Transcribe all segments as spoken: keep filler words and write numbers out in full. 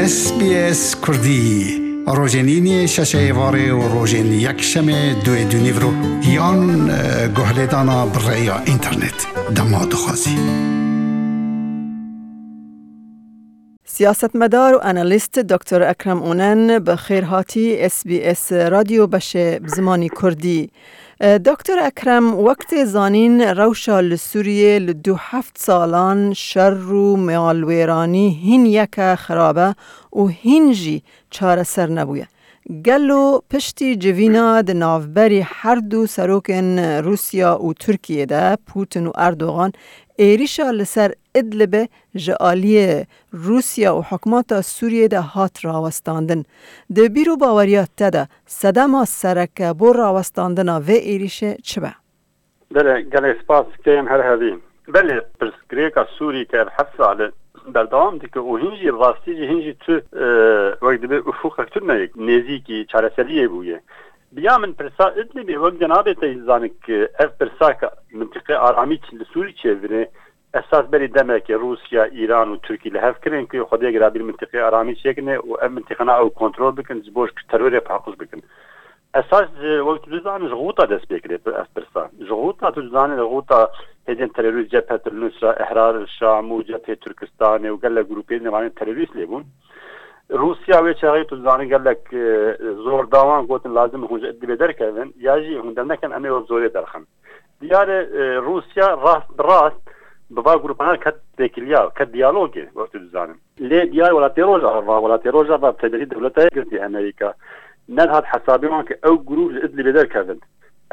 S B S Kurdî, rojên îniyê şeşê êvarê û rojên yekşemê duê dûnîvro yan, e, guhlêdana bi rêya înternet. Dema dixwazî. Siyasetmedar û analîst Doktor Ekrem Onen, bi xêr hatî S B S Radyo beşê bi zimanî Kurdî. E, Doktor Ekrem, wek tê zanîn, rewşa li Sûriyê li du heft salan şer û malwêranî hîn yeke xirab e û hîn jî çareser nebûye. Gelo piştî civîna di navberî her du serokên Rûsya û Tirkiyê de, Putin û Erdogan, êrîşa li ser Idlibê ji aliyê Rûsya û hikûmeta Sûriyê de hat rawestandin. Di bîr û baweriya te de sedema sereke bo rawestandina vê êrîşê çi be? Belê, gelek spas, kêm her hevî. Belê, pirsgirêka Sûrî ke ev heft sal e berdewam dike û hîn jî rastî jî hîn jî tu, e, wek dibê ufûqek tune ye, nêzîkî çareseriyê bûye. Bi ya min pirsa Idlibê wek cenabê te jî zanik, ev pirsa ke mintiqê aramî li Sûrî çêvine, esas berî demekê Rûsya, Îran û Tirkî li hev kirin ku Xwedê girabî li mintiqê aramî çêkine û ev mintiqana ew kontrol bikin, ji bo ji terorê paqij bikin. Esas, e, wek tu dizanî, ji Xûta dest pê kirê ev pirsa. Ji Xûta, tu dizanî, li Xûta hêzên terorîst Cephet el Nusra, Ehrar el Şam û Cephê Turkistanê û gelek grûpê nêvanên terorîst lê bûn. Rûsya wê çaxê, tu dizanî, gelek, e, zor da wan, gotin lazim hûn ji Idlibê derkevin, ya jî hûn derneken, em ê wek zorê derxin. Diyar e, e, Rûsya rast bi rast bi va grûpana ket têkiliya, ket diyalogê, wek tu dizanin. Lê diyar welatê Rojava, welatê Rojava bi taybetî dewleta yekgirtî Amerîka, nedihat hesabê wan ke ew grûp ji Idlibê derkevin.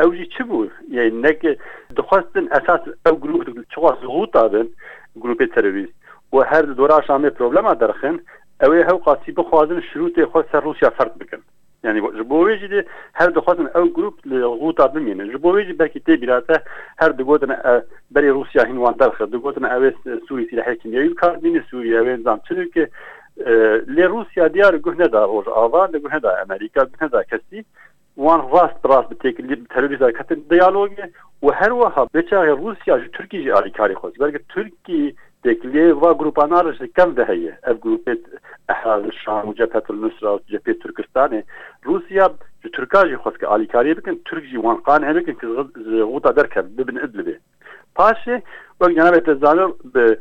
Ew jî çi bû? Yê neke dixwestin esas ew grûp çiqas Xûta bin, grûpê terorîst, û her di dora Şamê problema derxin, ew ê hewqasî bixwazin şirûtê xwe ser Rûsya fert bikin. Yani ji bo wê jî de her dixwazin ew grûp li Xûta bimînin. Ji bo wê jî belkî tê bîra te her digotin, e, berî Rûsya hîn wan derxist. Digotin ew ê Sûrî sîlehê kîmyewî bi kar bînin, Sûrî ew ê nizam çi dike. E, lê Rûsya diyar guh neda Rojava, li guh neda Amerîka, guh neda kesî. Wan rast bi rast bi têkilî, bi terorîst ketin diyalogê û her wiha vê çaxê Rûsya ji Tirkî jî alîkarî xwest. Belkî Tirkî têkiliyê va grûpana re ji kevn de heye. Ev grûpê Ehrar Şam û Cephetul Nusra û Cephê Turkistanê, Rûsya ji Tirka jî xwest ke alîkariyê bikin, Tirk jî wan qanî bikin ke ji Xûta derkevin, bibin Idlibê. Paşê, wek cenabê te zanir, bi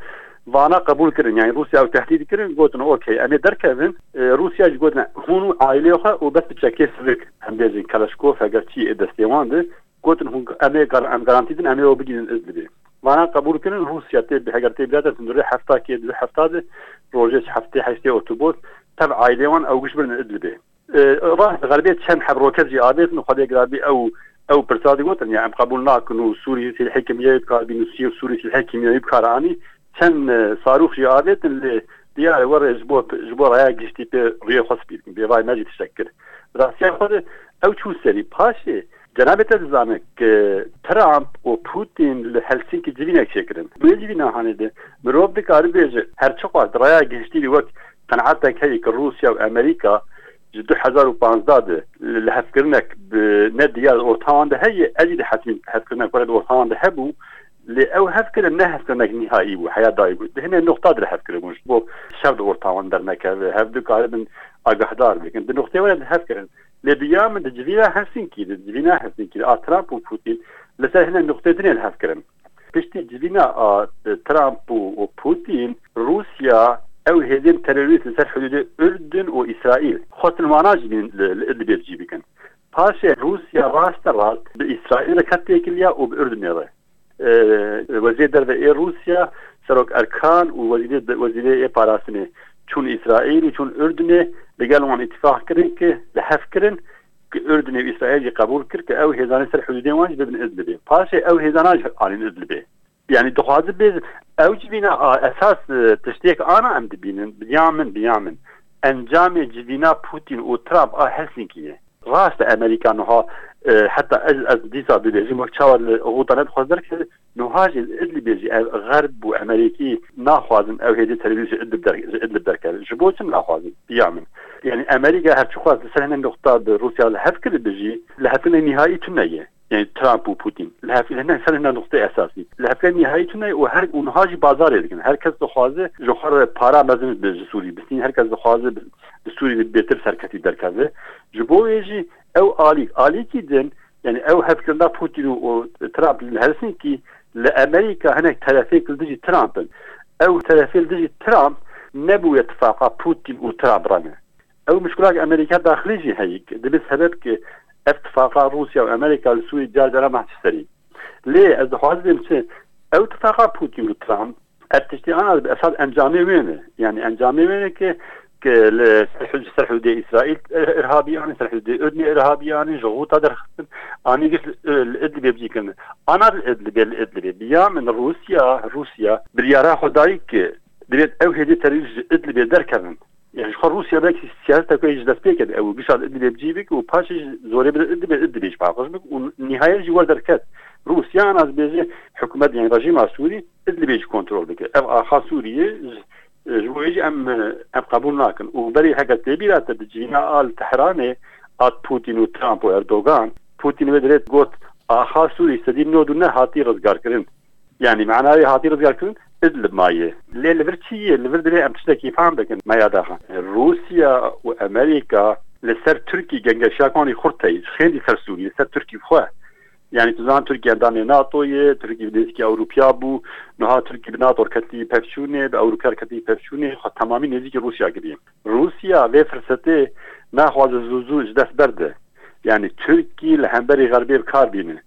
vana qebûl kirin, yani Rûsya ew tehdîd kirin, gotin, okey, em ê derkevin. E, Rûsya jî gotin, hûn û aileyê xwe û bes bi çekê sivik, em bêjin Keleşkof, heger çi ê destê wan de, gotin, hûn, em ê gar-, em garantî din, em ê ew bigihînin Idlibê. Vana qebûl kirin, Rûsya tê, heger tê bîra te, di rê hefta kê, di rê hefta de, rojê heftê heştê Otobos, tev aileyê wan ew giş birin Idlibê. E, rast, xerbê çend heb roket jî avêtin û Xwedê girabî ew, ew pirsa digotin, ya em qebûl nakin û Sûrî sîlhê kîmyewî bi kar bînin û Sî-, Sûrî sîlhê kîmyewî bi kar anî, çend, e, sarûx jî avêtin, lê diyar e werê ji bo, ji bo raya giştî pê rûyê xwe spî bikin. Bêvay me jî tiştek kir. Rastiya xwe de ew çû serî. Paşê cenabê te dizane ke Trump û Putin li Helsinkî civînek çêkirin. Wê civîna hanê de mirov dikare bêje, her çiqas di raya giştî de wek qenaetek heye ke Rûsya û Amerîka ji du hezar û panzdeh de li hevkirinek bi ne diyar orta wan de heye, ez jî dihesibînim hevkirinek were di orta wan de hebû, lê ew hevkirin ne hevkirinek nîhaî bû, heya dayî bû. Di hinê noqta de li hevkirin bûn, ji bo şer di orta wan dernekeve, hev dikaribin agahdar bikin. Di noqtê were de hevkirin. Lê bi ya min di civîna Helsinkî de, di civîna Helsinkî de a Trump û Putin li ser hinê noqtê dinê li hevkirin. Piştî civîna a Trump û, û Putin, Rûsya ew hêzên terorîst li ser hudûdê Urdun û Îsraîl xwestin wana jî li, li Idlibê cî bikin. Paşê Rûsya raste rast bi Îsraîl re ket têkiliya û bi Urdunê re. E, Wezîrê Derve ê Rûsya, Serok Erkan û Wezîrê de-, Wezîrê ê Parastinê çûn Îsraîl û çûn Urdunê, li gel wan îtîfaq kirin ki li hev kirin, ki Urdunê û Îsraîl jî qebûl kir ki ew hêzanê ser hudûdê wan jî bibin Idlibê. Paşê ew hêzana jî anîn Idlibê. Yani dixwaze bêje, ew civîna a esas, e, tiştêk ana em dibînin, bi ya min, bi ya min. Encamê civîna Putin û Trump a Helsinkî ye. Rast e, Amerîka niha, e, heta ez, ez dîsa bibêjim, wek çawa li Xûta nedixwaz derkeve, niha jî li Idlibê jî ev Xerb û Amerîkî naxwazin ew hêzê terorîst ji Idlib der-, ji Idlib derkeve. Ji bo çi naxwazin? Bi ya min. Yani Amerîka her çi xwest li ser hinê noqta bi Rûsya li hev kiribe jî, li hevkirinê nîhaî tune ye. Yanî Trump û Putin. Li hef-, li ne-, ser hine nuqteyê esasî. Li hevkariya nihayî tune û her, û niha jî bazarê dikin. Her kes dixwaze ji xwe re para mezin bi, ji Sûrî bistîn. Her kes dixwaze bi, bi Sûrî bêtir serketî derkeve. Ji bo wê jî ew alîk, alîkî din, yanî ew hevkirina Putin û, û Trump li Helsinkî li Amerîka hinek terefêk li dijî Trump in. Ew terefê li dijî Trump nebûye tifaqa Putin û Trump re ne. Ew mişkilak Amerîka daxilî jî heyî. Dibe sebeb ki ev tifaqa Rûsya û Amerîka li Sûrî car cara mehçî serî. Lê ez dixwazim çi? Ew tifaqa Putin û Trump, ev tiştî ana dibe esas encamê wê ne. Yanî encamê wê ne ki, ki li ser hud-, ser hudê Îsraîl ir-, irhabî anî, ser hudê Urdnê irhabî anî, ji Xûta derxistin, anî giş li, li Idlibê bicî kirin. Ana li Idlibê, li Idlibê. Biya min Rûsya, Rûsya biryara xwe dayî ki divêt ew hêdî terorîst ji Idlibê derkevin. Yani ji xwe Rûsya belkî siyaseta ku ji dest pê keve ew gişa li Idlibê bicî bik û paşê ji zorê bide Idlibê, Idlibê ji paqij bik û nihayet jî wer derket. Rûsya ana dibêje hikûmet, yani rejîma Sûrî Idlibê jî kontrol bike. Ev axa Sûriyê ji, ji bo wê jî em, em qebûl nakin. Û berê heke tê bîra te di civîna a li Tehranê a Putin û Trump û Erdogan, Putin wê dirêt got, axa Sûrî sedî nod û neh hatî rizgarkirin. Yani mena wê hatî rizgarkirin, Idlib maye. Lê li vir çi ye? Li vir divê em tiştekî fam bikin, me ya daxan. Rûsya û Amerîka li ser Tirkî gengeşiya kanî xurt heye, xêndî ser Sûrî, li ser Tirkî xwe. Yani tu zan Tirkî endamê nato ye, Tirkî bi nêzîkî Ewropiya bû, niha Tirkî bi nato ketî pevçûnê, bi Ewropiya ketî pevçûnê, xwe temamî nêzîkî Rûsya kiriye. Rûsya vê firsetê naxwaze zû zû ji dest berde. Yani Tirkî li hemberî Xerbê bi kar bîne.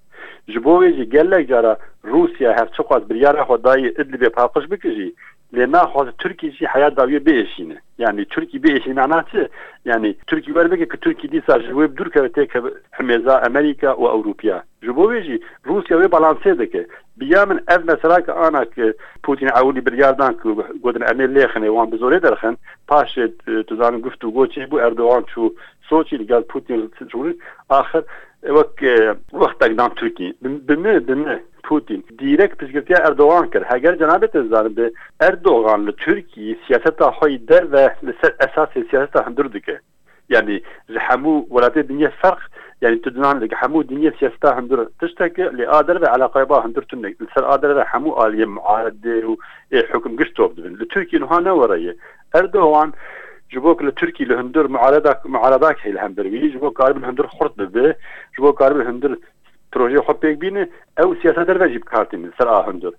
Ji bo wê jî gelek cara Rûsya her çiqas biryara xwe dayî Idlibê paqij bike jî, lê naxwaze Tirkî jî heya dawiyê biêşîne. Yani Tirkî biêşîne mena çi? Yani Tirkî wer bike ki Tirkî dîsa ji wê bi dûr keve têkeve himêza Amerîka û Ewropiya. Ji bo wê jî Rûsya wê balansê dike. Biya min ev mesela ki ana ki Putin ewilî biryar dan ki gotin em ê lêxinê wan bi zorê derxin, paşê, e, tu zanin guftûgo çêbû, Erdogan çû Soçî li gel Putin, axir, e, wek, e, wextek dan Tirkî. Bi, bi min, bi min Putin dîrek piştgirtiya Erdogan kir. Heger cenabê te zanin bi Erdogan li Tirkî siyaseta xwe yî derve li ser esasê siyaseta hundir dike. Yani ji hemû welatê dinyê ferq, yani tu dinan li hemû dinyê siyaseta hundir tiştek e, lê a derve eleqaya ba hundir tune. Li ser a derve hemû aliyê muaredê û ê hukm giş top dibin. Li Tirkî niha ne were ye. Erdogan ji bo ku li Tirkî li hundir muaredak, muaredak heye li hember wî, ji bo karibin hundir xurt bibe, ji bo karibin hundir projeyê xwe pêk bîne, ew siyaseta derve jî bi kar tîne li ser a hundir.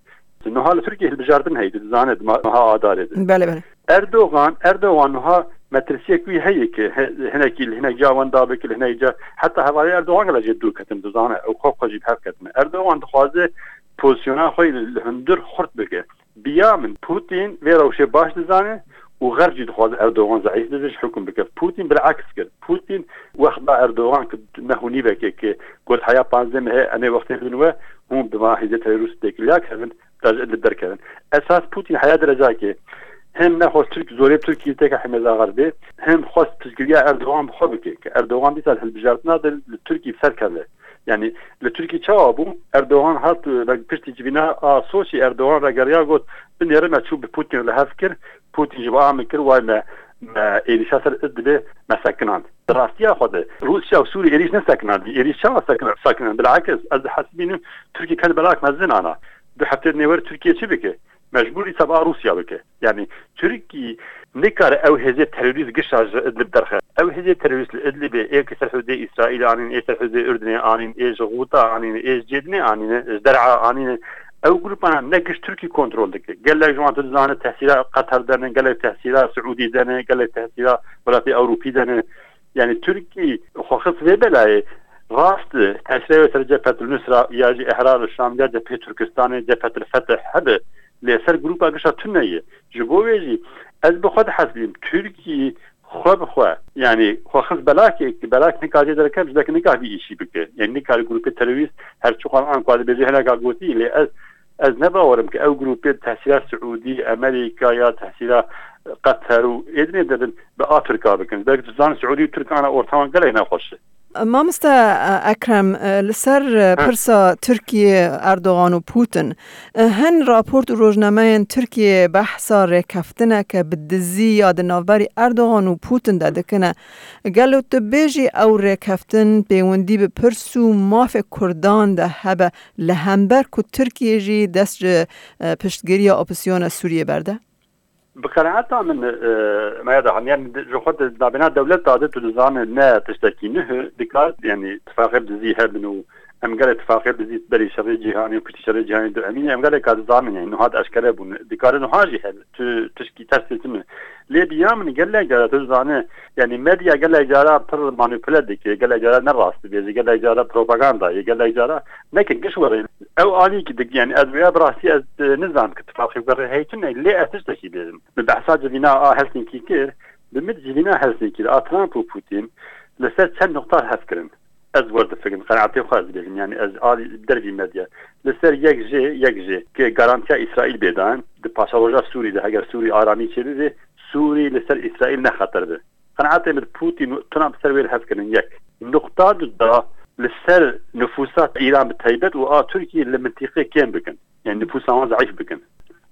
Niha li Tirkiyê hilbijartin heye, tu dizane, di ma-, meha Adarê de. Bele, bele. Erdogan, Erdogan niha metirsiyek wî heye ki he-, hinekî li hinek ca wenda bike, li hinek ca, heta hevalê Erdogan gele jê dûr ketin, dizane, ew xwe xwe jî bi hev ketine. Erdogan dixwaze pozisyona xwe li hundir xurt bike. Biya min Putin vê rewşê baş dizane û Xerb jî dixwaze Erdogan zeîf bibe, ji hukm bike. Putin bilaks kir. Putin wext da Erdogan ki neh û nîvekê ki got heya panzdeh mehê em ê wextê bidin we, hûn bi ma hêzê terorîst têkiliya kevin, da ji Idlib derkevin. Esas Putin heya derecakê hem nexwest Tirk, zorê Tirkî têke hemêza Xerbê, hem xwest piştgiriya Erdogan bi xwe bike, ki Erdogan dîsa li hilbijartina de li Tirkî bi ser keve. Yani li Tirkî çawa bû? Erdogan hat, e, piştî civîna a Soçî, Erdogan vegeriya got, binêre me çû bi Putin li hev kir, Putin ji ba min kir, way me, me êrîşa ser Idlibê me sekinand. Di rastiya xwe de Rûsya û Sûrî êrîş nesekinandî. Êrîş çawa sekin-, sekinand? Bilakis ez dihesibînim Tirkî ken belak mezin ana. Du heftê nêwer Tirkiye çi bike? Mecbûr îsa ba Rûsya bike. Yani Tirkî nikare ew hêzê terorîst gişa ji Idlib derxe. Ew hêzê terorîst li Idlibê ê ki ser hudê Îsraîl anîn, ê ser hudê Urdinê anîn, ê ji Xûta anîn, ê ji Cêdinê anîn, ji Der'a anîn. Ew grûpana ne giş Tirkî kontrol dike. Gelek ji wan tu dizane tehsîra Qeter de ne, gelek tehsîra Siûdî de ne, gelek tehsîra welatê Ewropî de ne. Yani Tirkî xwe xist vê belayê, rast e, tesîrê wê ser Cephet el Nusra ya jî Ihrar el Şam ya Cephê Turkistanê, Cephet el Fetih hebe, lê ser grûpa gişa tune ye. Ji bo wê jî ez bi xwe dihesibînim, Tirkî xwe bi xwe, yani xwe xist belakê, belak nikare derkeve, ji belkî nikare vî îşî bike. Yani nikare grûpê terorîst her çiqan an ku dibêje hineka gotî, lê ez, ez ne bawerim ki ew grûpê tesîra Siûdî, Amerîka ya tesîra Qeter û êdinê dibin bi a Tirka bikin. Belkî tu zan Siûdî û Tirk ana orta wan gelek nexweş e. Mamoste Ekrem, li ser pirsa Tirkiye, Erdogan û Putin, hin raport û rojnameyên Tirkiye behsa rêkeftineke bi dizî ya di navberî Erdogan û Putin de dikine. Gelo tu bêjî ew rêkeftin pêwendî bi pirs û mafê Kurdan de hebe, li hember ku Tirkiye jî dest ji, e, piştgiriya opozîsyona Sûriyê berde? Bi qenaeta min, e, me ya de haniyan ji xwe di navbêna dewleta de tu dizane ne tiştekî nuh dikar, yanî tifaqê bi dizî hebin û em gelek tifaqê bi dizî berî şerê cîhanî û piştî şerê cîhanî du emîn em gelek ka dizanin, yanî nuha di eşkere bûn. Dikare nuha jî hebe. Tu tişkî tersê tune. Lê bi ya min gelek cara tu dizane, yanî medya gelek cara pir manipule dike, gelek cara ne rast dibêje, gelek cara propaganda ye, gelek cara nekin giş were. Ew alî ki dik, yanî ez wêya bi rastî ez, e, nizam ki tifaqê were hey tune, lê ez tiştekî bêjim. Bi behsa civîna a Helsinkî kir, bi min civîna Helsinkî a Trump û Putin li ser çend nuqta hev kirin. Ez wer difikirim, qenaetê xwe ez dibêjim, yanî ez alî dervî medya. Li ser yek jê, yek jê ki garantiya Îsraîl bê dan, di paşeroja Sûrî de heger Sûrî aramî çêbibe, Sûrî li ser Îsraîl ne xeter be. Qenaetê min Putin û Trump ser wê li hev kirin yek. Nuqta du da li ser nifûsa Îran bi taybet û a Tirkiyê li mintîqê kêm bikin. Yanî nifûsa wan zeîf bikin.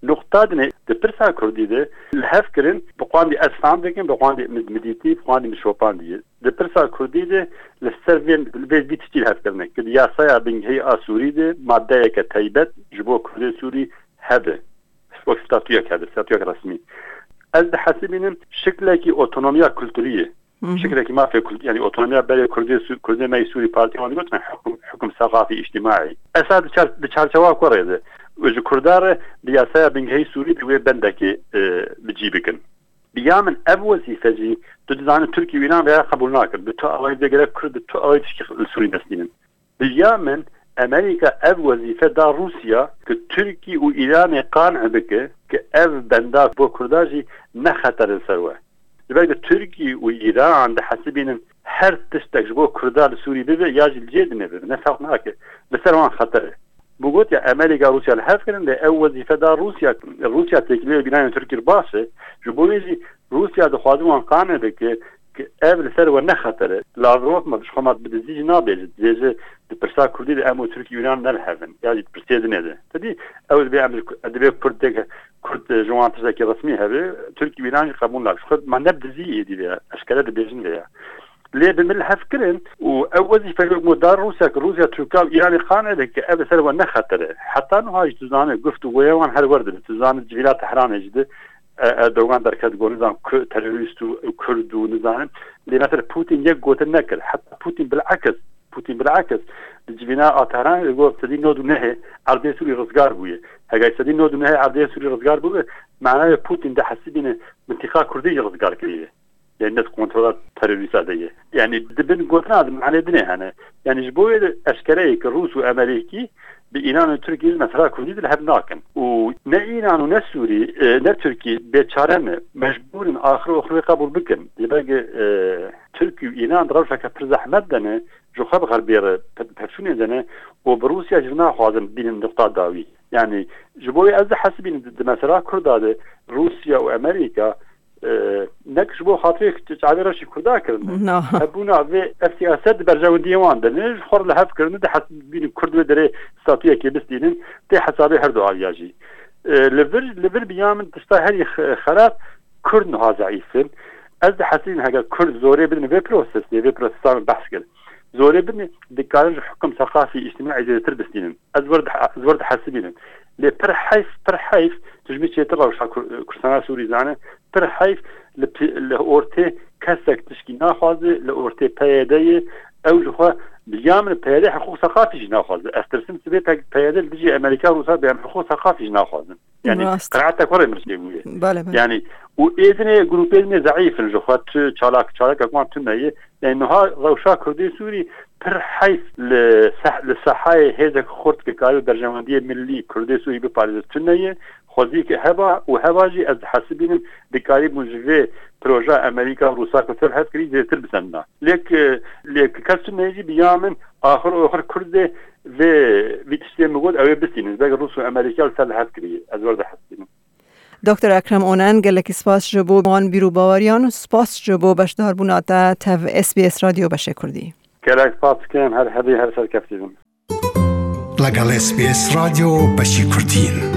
Nuqta dinê di pirsa Kurdî de li hev kirin, bi qandî ez fam dikim, bi qandî min, min dîtî, bi qandî min şopandî. Di pirsa Kurdî de li ser vê, li vê vî tiştî li hev kirine. Ki di yasaya bingehî a Sûrî de maddeyeke taybet ji bo Kurdê Sûrî hebe. Wek statuyek hebe, statuyek resmî. Ez dihesibînim şiklekî otonomiya kulturî ye. Hı hı. Şiklekî mafê kul-, yanî otonomiya berê Kurdê Su-, Kurdê me yê Sûrî, partiya wan digotin hukum, hukum seqafî, îctimaî. Esa di çar-, di çarçewa ku rê de û ji Kurda re di yasaya bingehî Sûrî de wê bendekê, e, bi cî bikin. Bi ya min ev wezîfe jî tu dizanî Tirkî û Îran vêya qebûl nakin. Bi tu awayî de gerek Kurd bi tu awayî tişkî li Sûrî nestînin. Bi ya min Amerîka ev wezîfe da Rûsya ki Tirkî û Îranê qanî bike ki ev benda bo Kurda jî ne xeter li ser we. Ji ber ku Tirkî û Îran dihesibînin her tiştek ji bo Kurda li Sûrî bibe ya jî li cê dinê bibe, ne ferq nake. Li ser wan xeter e. Bi gotiya Amerîka Rûsya li hev kirin, lê ew wezîfe da Rûsya. Rûsya têkiliyê bînanên Tirkî baş e. Ji bo wê jî Rûsya dixwaze wan qane bike ki ev li ser we ne xeter e. Lavrov ma ji xwe ma bi dizî jî nabêje. Dibêje di pirsa Kurdî de em û Tirkî û Îran ne li hev in. Ya jî di pirsê dinê de. Te dî ew dibê em ji Ku-, dibê Kurd têk, Kurd ji wan tiştekî resmî hebe. Tirkî û Îran jî qebûl nake. Ji xwe ma ne bi dizî êdî vê ya. Eşkere dibêjin vê ya. Lê bi min li hev kirin û ew wezîfe wek mo dar Rûsya, ki Rûsya Tirka û Îranê qane bike ev li ser we ne xeter e. Heta niha jî tu zanî guft û goya wan her wer dibe. Tu zanî civîna Tehranê jî de, e, Erdogan derket got, nizam, ku-, terorîst û Kurd û nizanim. Lê mesela Putin yek gotin nekir. Heta Putin bilekis, Putin bilekis di civîna a Tehranê de got sedî nod û nehê erdê Sûrî rizgar bûye. Heger sedî nod û nehê erdê Sûrî rizgar bûbe, manayê Putin dihesibîne mintîqa Kurdî jî rizgar kiriye. Yanî ne di kontrola terorîsta de ye. Yanî di bin gotina de manê dinê hene. Yanî ji bo wê de eşkere ye ki Rûs û Amerîkî bi Îran û Tirkî ji mesela Kurdî de li hev nakin. Û ne Îran û ne Sûrî, e, ne Tirkî bêçare ne. Mecbûr in axir oxir wê qebûl bikin. Ji ber ku, e, Tirkî û Îran di rewşeke pir zehmet de ne, ji xwe bi xerbê re pe-, pevçûnê de ne û bi Rûsya jî naxwazin bînin nuqta dawî. Yanî ji bo wê ez dihesibînim di, di mesela Kurda de Rûsya û Amerîka, e, nek ji bo xatirê çavê reşî Kurda kirine. Na. Hebûna vê ev siyaset di berjewendiyê wan de ne, ji xwe re li hev kirine, dihesibînin Kurd wê derê statuyekê bistînin, tê hesabê her du aliya jî. E, li vir, li vir biya min tişta herî xe-, xerab Kurd niha zeîf in. Ez dihesibînim heger Kurd zorê bidin vê prosesê, vê prosesa min behs kir. Zorê bidin, dikarin ji hukum seqafî, îctimaî zêdetir bistînin. Ez wer di-, ez wer dihesibînim. Lê pir heyf, pir heyf, tu ji min çêtir rewşa Kur-, Kurdistana Sûrî zane, pir heyf li pi-, li ortê kesek tişkî naxwaze, li ortê P Y D ye, ew ji xwe bi ya min P Y D hiqûq seqafî jî naxwaze. Ez tirsim sibê P Y D li dijî Amerîka Rûsa bê em hiqûq seqafî jî naxwazin. Yanî Rast. Qenaeta xwe rê min çêbûye. Bele, bele. Yanî û ê dinê grûpê dinê zeîf in ji xwe, tu çalak, çalakek wan tune ye. Yanî niha rewşa Kurdê Sûrî pir heyf li seh-, li sehayê hêzek xurt ki karibe berjewendiyê milî Kurdê Sûrî biparêze tune ye. Xwezî ki heba û heba jî ez dihesibînim dikarîbûn ji vê proja Amerîka û Rûsa ku ser hev kirî zêdetir bisendina. Lê ki, lê ki kes tune jî bi ya min axir oxir Kurdê vê, vî tiştê min got ew ê bistînin. Belkî Rûs û Amerîka li ser li hev kiriye. Ez wer dihesibînim. Doktor Ekrem Onen, gelekî spas ji bo wan bîr û baweriyan û spas ji bo beşdarbûna te tev S B S Radyo Beşê Kurdî. Gelek spas dikim, her hebî her serkeftî bin. لەگەڵ S B S رادیۆ بەشی کوردین.